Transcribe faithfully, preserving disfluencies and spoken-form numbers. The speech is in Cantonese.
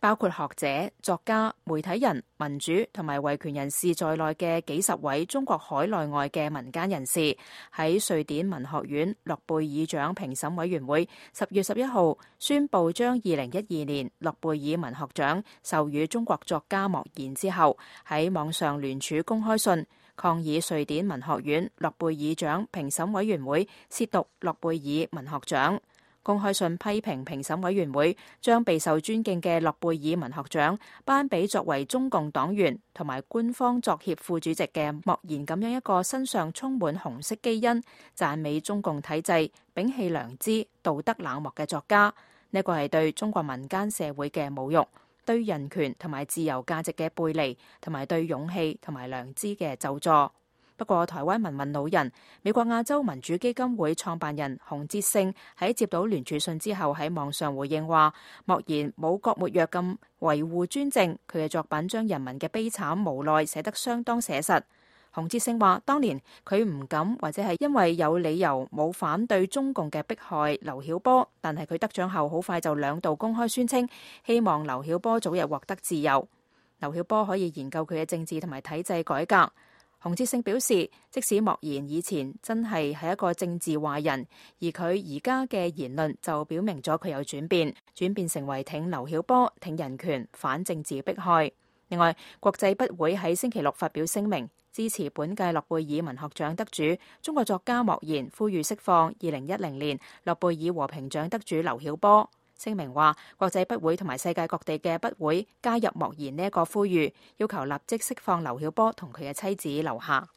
包括學者、作家、媒體人、民主同埋維權人士在內嘅幾十位中國海內外嘅民間人士，喺瑞典文學院諾貝爾獎評審委員會十月十一號宣布將二零一二年諾貝爾文學獎授予中國作家莫言之後，喺網上聯署公開信，抗議瑞典文學院諾貝爾獎評審委員會褻瀆諾貝爾文學獎。公開信批評評審委員會將備受尊敬嘅諾貝爾文學獎頒俾作為中共黨員同埋官方作協副主席嘅莫言咁樣一個身上充滿紅色基因、讚美中共體制、摒棄良知、道德冷漠嘅作家。呢個係對中國民間社會嘅侮辱，對人權同埋自由價值嘅背離，同埋對勇氣同埋良知嘅咒詛。不過，台灣民運老人、美國亞洲民主基金會創辦人洪哲聖喺接到聯署信之後，喺網上回應話：莫言冇郭沫若咁維護專政，佢嘅作品將人民嘅悲慘無奈寫得相當寫實。洪哲聖話：當年佢唔敢或者係因為有理由冇反對中共嘅迫害劉曉波，但係佢得獎後好快就兩度公開宣稱希望劉曉波早日獲得自由，劉曉波可以研究佢嘅政治同埋體制改革。洪哲聖表示，即使莫言以前真係係一個政治壞人，而佢而家嘅言論就表明咗佢有轉變，轉變成為挺劉曉波、挺人權、反政治迫害。另外，國際筆會喺星期六發表聲明，支持本屆諾貝爾文學獎得主中國作家莫言，呼籲釋放二零一零年諾貝爾和平獎得主劉曉波。聲明話，國際筆會同埋世界各地嘅筆會加入莫言呢一個呼籲，要求立即釋放劉曉波同佢嘅妻子劉霞。